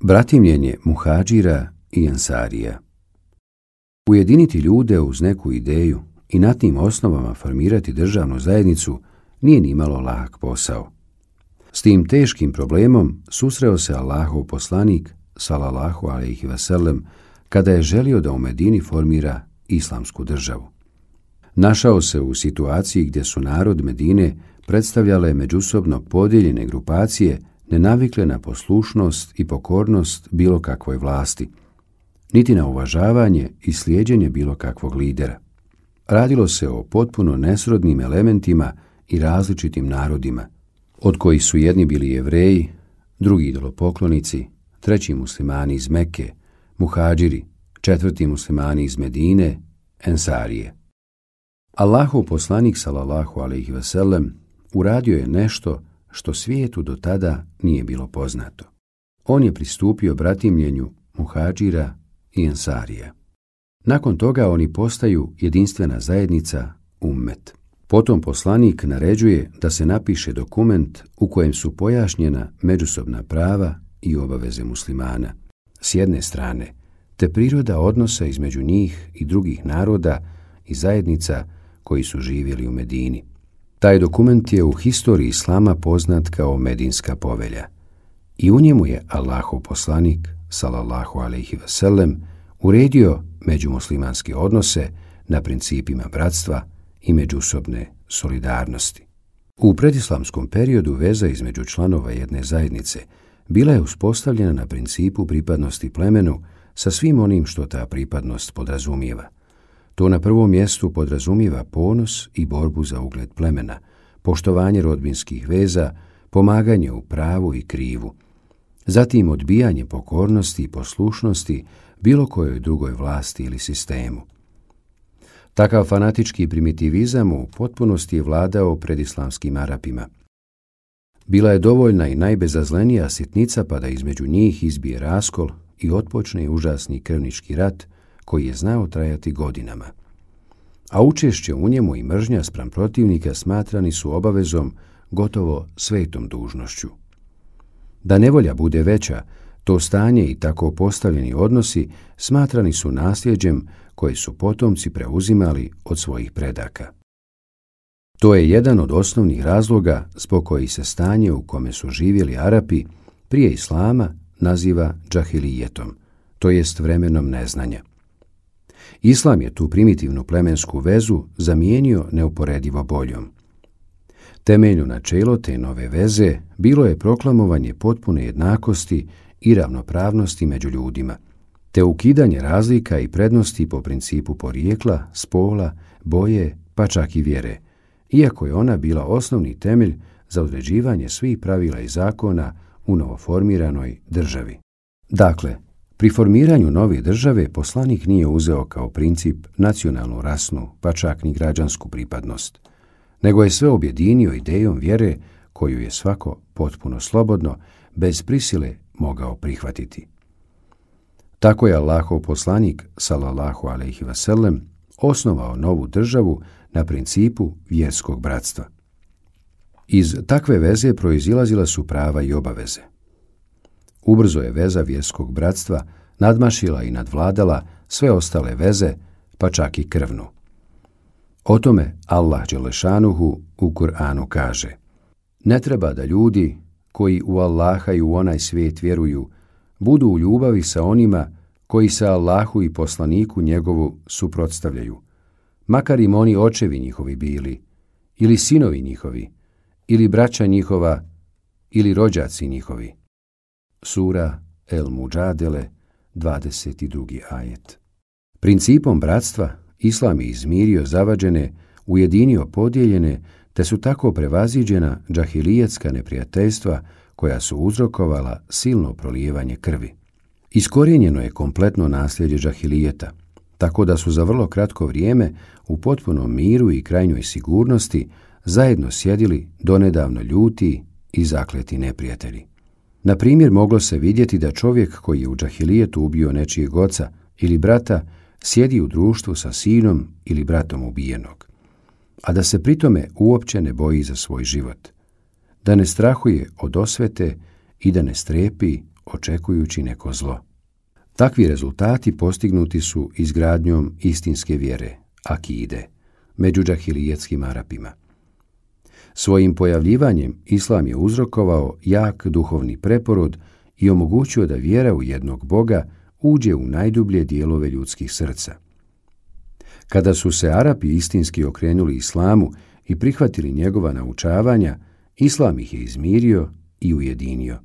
Bratimljenje muhadžira i ensarija. Ujediniti ljude uz neku ideju i na tim osnovama formirati državnu zajednicu nije ni malo lak posao. S tim teškim problemom susreo se Allahov poslanik, salallahu alejhi ve sellem, kada je želio da u Medini formira islamsku državu. Našao se u situaciji gdje su narod Medine predstavljale međusobno podijeljene grupacije nenavikle na poslušnost i pokornost bilo kakvoj vlasti, niti na uvažavanje i slijeđenje bilo kakvog lidera. Radilo se o potpuno nesrodnim elementima i različitim narodima, od kojih su jedni bili Jevreji, drugi idolopoklonici, treći muslimani iz Mekke, muhadžiri, četvrti muslimani iz Medine, ensarije. Allahov poslanik salallahu alejhi ve sellem uradio je nešto što svijetu do tada nije bilo poznato. On je pristupio bratimljenju muhadžira i ensarija. Nakon toga oni postaju jedinstvena zajednica, ummet. Potom poslanik naređuje da se napiše dokument u kojem su pojašnjena međusobna prava i obaveze muslimana s jedne strane, te priroda odnosa između njih i drugih naroda i zajednica koji su živjeli u Medini. Taj dokument je u historiji islama poznat kao Medinska povelja i u njemu je Allahov poslanik, salallahu alejhi ve sellem, uredio međumuslimanske odnose na principima bratstva i međusobne solidarnosti. U predislamskom periodu veza između članova jedne zajednice bila je uspostavljena na principu pripadnosti plemenu sa svim onim što ta pripadnost podrazumijeva. To na prvom mjestu podrazumijeva ponos i borbu za ugled plemena, poštovanje rodbinskih veza, pomaganje u pravu i krivu, zatim odbijanje pokornosti i poslušnosti bilo kojoj drugoj vlasti ili sistemu. Takav fanatički primitivizam u potpunosti je vladao pred islamskim Arapima. Bila je dovoljna i najbezazlenija sitnica pa da između njih izbije raskol i otpočne užasni krvnički rat koji je znao trajati godinama. A učešće u njemu i mržnja spram protivnika smatrani su obavezom, gotovo svetom dužnošću. Da nevolja bude veća, to stanje i tako postavljeni odnosi smatrani su nasljeđem koje su potomci preuzimali od svojih predaka. To je jedan od osnovnih razloga zbog kojih se stanje u kome su živjeli Arapi prije islama naziva džahilijetom, to jest vremenom neznanja. Islam je tu primitivnu plemensku vezu zamijenio neuporedivo boljom. Temeljno načelo te nove veze bilo je proklamovanje potpune jednakosti i ravnopravnosti među ljudima, te ukidanje razlika i prednosti po principu porijekla, spola, boje, pa čak i vjere, iako je ona bila osnovni temelj za određivanje svih pravila i zakona u novoformiranoj državi. Dakle, pri formiranju nove države poslanik nije uzeo kao princip nacionalnu, rasnu, pa čak ni građansku pripadnost, nego je sve objedinio idejom vjere koju je svako potpuno slobodno, bez prisile mogao prihvatiti. Tako je Allahov poslanik, salallahu alejhi ve sellem, osnovao novu državu na principu vjerskog bratstva. Iz takve veze proizilazila su prava i obaveze. Ubrzo je veza vjerskog bratstva nadmašila i nadvladala sve ostale veze, pa čak i krvnu. O tome Allah dželešanuhu u Kur'anu kaže: ne treba da ljudi koji u Allaha i u onaj svijet vjeruju budu u ljubavi sa onima koji se Allahu i poslaniku njegovu suprotstavljaju, makar im oni očevi njihovi bili, ili sinovi njihovi, ili braća njihova, ili rođaci njihovi. Sura El Muđadele, 22. ajet. Principom bratstva Islam je izmirio zavađene, ujedinio podijeljene, te su tako prevaziđena džahilijetska neprijateljstva koja su uzrokovala silno prolijevanje krvi. Iskorijenjeno je kompletno nasljeđe džahilijeta, tako da su za vrlo kratko vrijeme u potpunom miru i krajnjoj sigurnosti zajedno sjedili donedavno ljuti i zakleti neprijatelji. Na primjer, moglo se vidjeti da čovjek koji je u džahilijetu ubio nečijeg oca ili brata sjedi u društvu sa sinom ili bratom ubijenog, a da se pritome uopće ne boji za svoj život, da ne strahuje od osvete i da ne strepi očekujući neko zlo. Takvi rezultati postignuti su izgradnjom istinske vjere, akide, među džahilijetskim Arapima. Svojim pojavljivanjem Islam je uzrokovao jak duhovni preporod i omogućio da vjera u jednog Boga uđe u najdublje dijelove ljudskih srca. Kada su se Arapi istinski okrenuli Islamu i prihvatili njegova naučavanja, Islam ih je izmirio i ujedinio.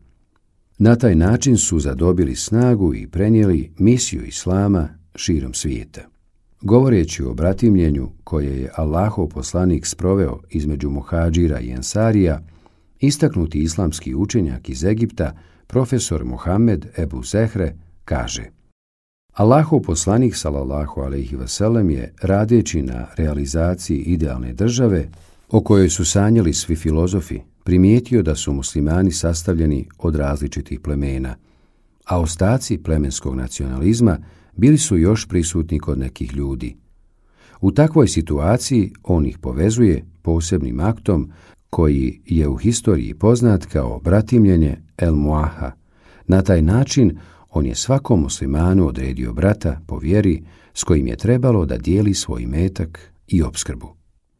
Na taj način su zadobili snagu i prenijeli misiju Islama širom svijeta. Govoreći o bratimljenju koje je Allahov poslanik sproveo između muhadžira i ensarija, istaknuti islamski učenjak iz Egipta, profesor Muhammed Ebu Zehre, kaže: Allahov poslanik sallallahu alejhi ve sellem je, radeći na realizaciji idealne države o kojoj su sanjali svi filozofi, primijetio da su muslimani sastavljeni od različitih plemena, a ostaci plemenskog nacionalizma bili su još prisutni kod nekih ljudi. U takvoj situaciji on ih povezuje posebnim aktom koji je u historiji poznat kao bratimljenje El Muaha. Na taj način on je svakom muslimanu odredio brata po vjeri s kojim je trebalo da dijeli svoj metak i opskrbu.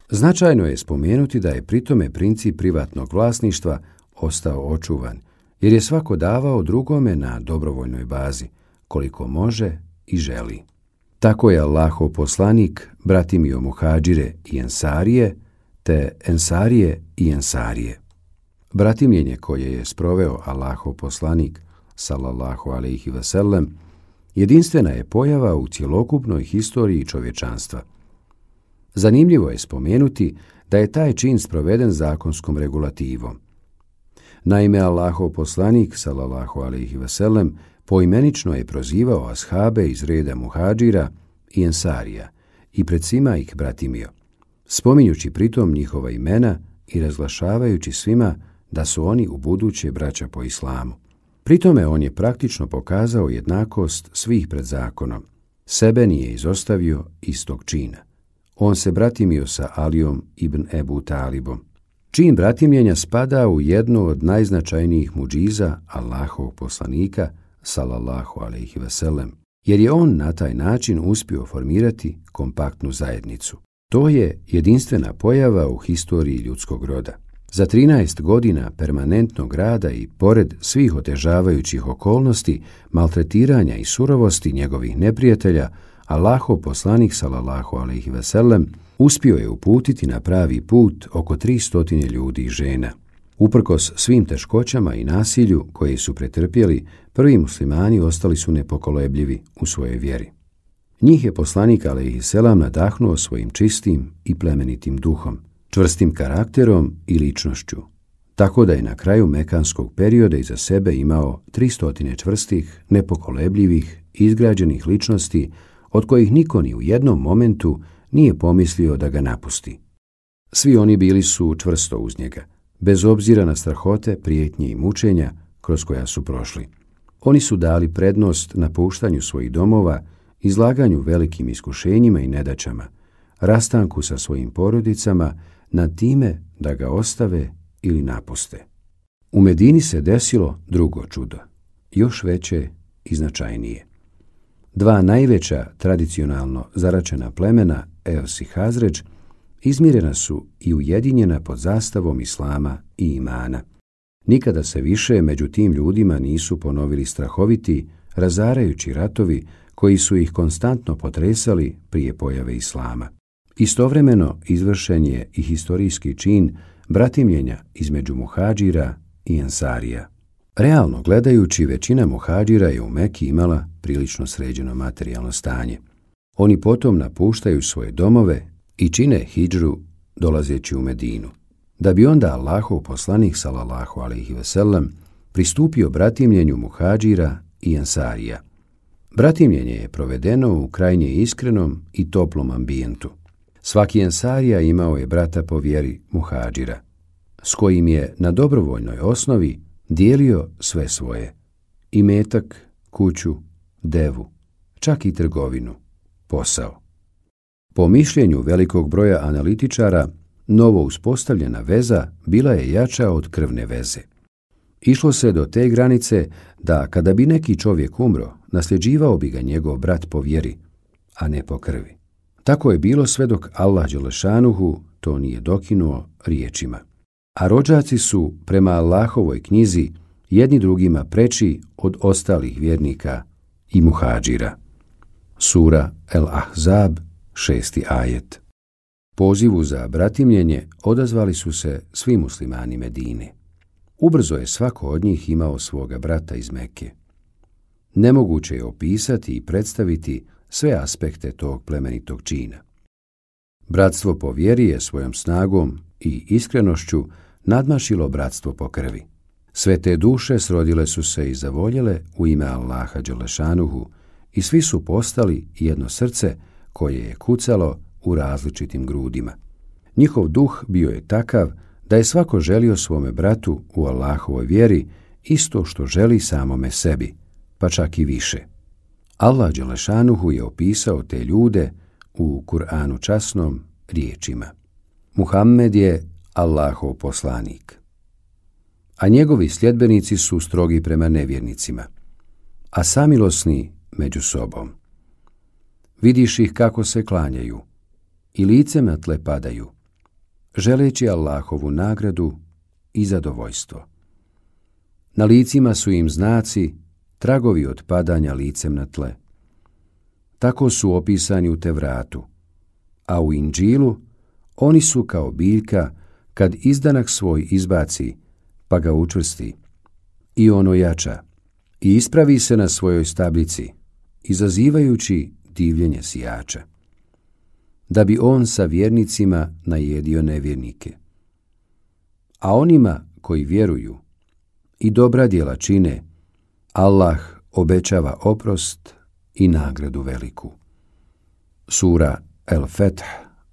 Značajno je spomenuti da je pritome princip privatnog vlasništva ostao očuvan, jer je svako davao drugome na dobrovoljnoj bazi, koliko može i želi. Tako je Allahov poslanik bratimio muhadžire i ensarije, te ensarije i ensarije. Bratimljenje koje je sproveo Allahov poslanik sallallahu alejhi ve sellem jedinstvena je pojava u cjelokupnoj historiji čovječanstva. Zanimljivo je spomenuti da je taj čin sproveden zakonskom regulativom. Naime, Allahov poslanik sallallahu alejhi ve sellem poimenično je prozivao ashabe iz reda muhadžira i ensarija i pred svima ih bratimio, spominjući pritom njihova imena i razglašavajući svima da su oni u buduće braća po islamu. Pritome on je praktično pokazao jednakost svih pred zakonom. Sebe nije izostavio iz tog čina. On se bratimio sa Alijom ibn Ebu Talibom. Čin bratimljenja spada u jednu od najznačajnijih muđiza Allahovog poslanika sallallahu alejhi ve sellem, jer je on na taj način uspio formirati kompaktnu zajednicu. To je jedinstvena pojava u historiji ljudskog roda. Za 13 godina permanentnog rada i pored svih otežavajućih okolnosti, maltretiranja i surovosti njegovih neprijatelja, Allahov poslanik sallallahu alejhi ve sellem uspio je uputiti na pravi put oko 300 ljudi i žena. Uprkos svim teškoćama i nasilju koje su pretrpjeli, prvi muslimani ostali su nepokolebljivi u svojoj vjeri. Njih je poslanik alejhiselam nadahnuo svojim čistim i plemenitim duhom, čvrstim karakterom i ličnošću, tako da je na kraju mekanskog perioda iza sebe imao 300 čvrstih, nepokolebljivih, izgrađenih ličnosti, od kojih niko ni u jednom momentu nije pomislio da ga napusti. Svi oni bili su čvrsto uz njega, bez obzira na strahote, prijetnje i mučenja kroz koja su prošli. Oni su dali prednost napuštanju svojih domova, izlaganju velikim iskušenjima i nedaćama, rastanku sa svojim porodicama, nad time da ga ostave ili napuste. U Medini se desilo drugo čudo, još veće i značajnije. Dva najveća tradicionalno zaračena plemena, Eos i Hazređ, izmirena su i ujedinjena pod zastavom Islama i imana. Nikada se više među tim ljudima nisu ponovili strahoviti, razarajući ratovi koji su ih konstantno potresali prije pojave Islama. Istovremeno izvršen je i historijski čin bratimljenja između muhadžira i ensarija. Realno gledajući, većina muhadžira je u Meki imala prilično sređeno materijalno stanje. Oni potom napuštaju svoje domove i čine hidžru dolazeći u Medinu, da bi onda Allahov poslanik sallallahu alejhi ve sellem pristupio bratimljenju muhadžira i ensarija. Bratimljenje je provedeno u krajnje iskrenom i toplom ambijentu. Svaki ensarija imao je brata po vjeri muhadžira, s kojim je na dobrovoljnoj osnovi dijelio sve svoje, imetak, kuću, devu, čak i trgovinu, posao. Po mišljenju velikog broja analitičara, novo uspostavljena veza bila je jača od krvne veze. Išlo se do te granice da kada bi neki čovjek umro, nasljeđivao bi ga njegov brat po vjeri, a ne po krvi. Tako je bilo sve dok Allah dželešanuhu to nije dokinuo riječima. A rođaci su prema Allahovoj knjizi jedni drugima preči od ostalih vjernika i muhadžira. Sura El Ahzab, 6. ajet. Pozivu za bratimljenje odazvali su se svi muslimani Medine. Ubrzo je svako od njih imao svoga brata iz Mekke. Nemoguće je opisati i predstaviti sve aspekte tog plemenitog čina. Bratstvo po vjeri je svojom snagom i iskrenošću nadmašilo bratstvo po krvi. Sve te duše srodile su se i zavoljele u ime Allaha dželešanuhu i svi su postali jedno srce koje je kucalo u različitim grudima. Njihov duh bio je takav da je svako želio svome bratu u Allahovoj vjeri isto što želi samome sebi, pa čak i više. Allah dželešanuhu je opisao te ljude u Kur'anu časnom riječima: Muhammed je Allahov poslanik, a njegovi sljedbenici su strogi prema nevjernicima, a samilosni među sobom. Vidiš ih kako se klanjaju i licem na tle padaju, želeći Allahovu nagradu i zadovoljstvo. Na licima su im znaci, tragovi od padanja licem na tle. Tako su opisani u Tevratu, a u Inđilu oni su kao biljka kad izdanak svoj izbaci, pa ga učvrsti, i ono jača, i ispravi se na svojoj stablici, izazivajući divljenje sijača, da bi on sa vjernicima najedio nevjernike. A onima koji vjeruju i dobra djela čine, Allah obećava oprost i nagradu veliku. Sura El Feth,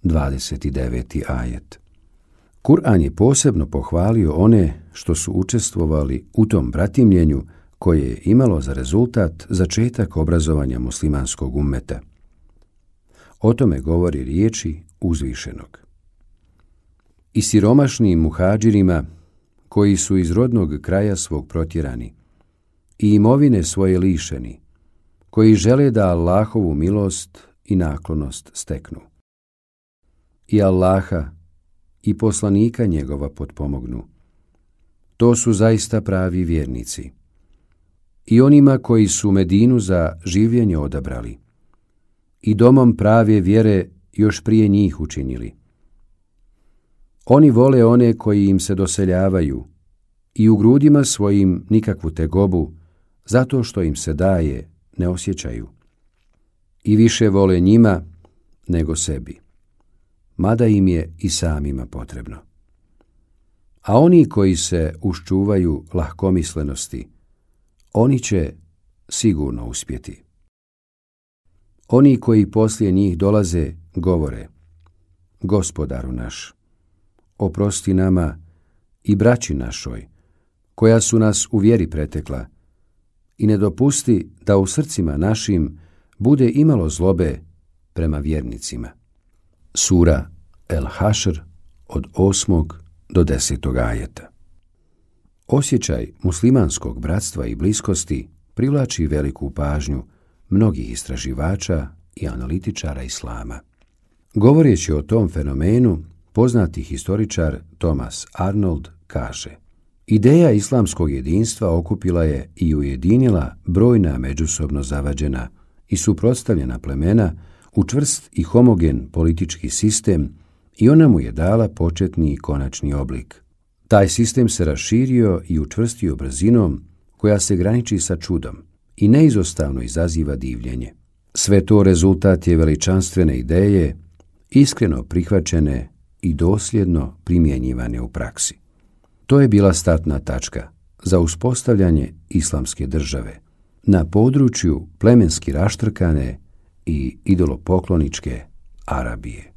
29. ajet. Kur'an je posebno pohvalio one što su učestvovali u tom bratimljenju koje je imalo za rezultat začetak obrazovanja muslimanskog ummeta. O tome govori riječi uzvišenog: i siromašnim muhadžirima koji su iz rodnog kraja svog protjerani i imovine svoje lišeni, koji žele da Allahovu milost i naklonost steknu, i Allaha i poslanika njegova potpomognu. To su zaista pravi vjernici. I onima koji su Medinu za življenje odabrali i domom prave vjere još prije njih učinili. Oni vole one koji im se doseljavaju i u grudima svojim nikakvu tegobu, zato što im se daje, ne osjećaju. I više vole njima nego sebi, mada im je i samima potrebno. A oni koji se uščuvaju lahkomislenosti, oni će sigurno uspjeti. Oni koji poslije njih dolaze, govore: Gospodaru naš, oprosti nama i braći našoj, koja su nas u vjeri pretekla, i ne dopusti da u srcima našim bude imalo zlobe prema vjernicima. Sura El Hašr, od 8. do 10. ajeta. Osjećaj muslimanskog bratstva i bliskosti privlači veliku pažnju mnogih istraživača i analitičara islama. Govoreći o tom fenomenu, poznati historičar Thomas Arnold kaže: ideja islamskog jedinstva okupila je i ujedinila brojna međusobno zavađena i suprotstavljena plemena u čvrst i homogen politički sistem i ona mu je dala početni i konačni oblik. Taj sistem se raširio i učvrstio brzinom koja se graniči sa čudom i neizostavno izaziva divljenje. Sve to rezultat je veličanstvene ideje, iskreno prihvaćene i dosljedno primjenjivane u praksi. To je bila startna tačka za uspostavljanje islamske države na području plemenski raštrkane i idolopokloničke Arabije.